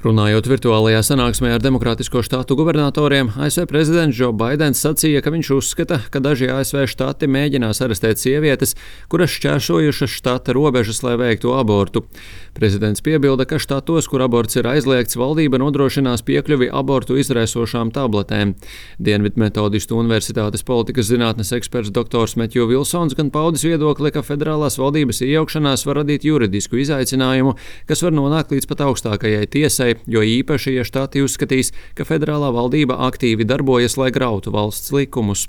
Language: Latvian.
Runājot virtuālajā sanāksmē ar Demokrātisko štātu gubernatoriem, ASV prezidents Džo Baidens sacīja, ka viņš uzskata, ka daži ASV štati mēģinās arestēt sievietes, kuras šķērsojušas štata robežas, lai veiktu abortu. Prezidents piebilda, ka štatos, kur aborts ir aizliegts, valdība nodrošinās piekļuvi abortu izraisošām tabletēm. Dienvidmetodistu universitātes politikas zinātnes eksperts dr. Metju Vilsons gan paudis viedokli, ka federālās valdības iejaukšanās var radīt juridisku izaicinājumu, kas var nonākt līdz pat augstākajai tiesai, jo īpaši, ja štati uzskatīs, ka federālā valdība aktīvi darbojas, lai grautu valsts likumus.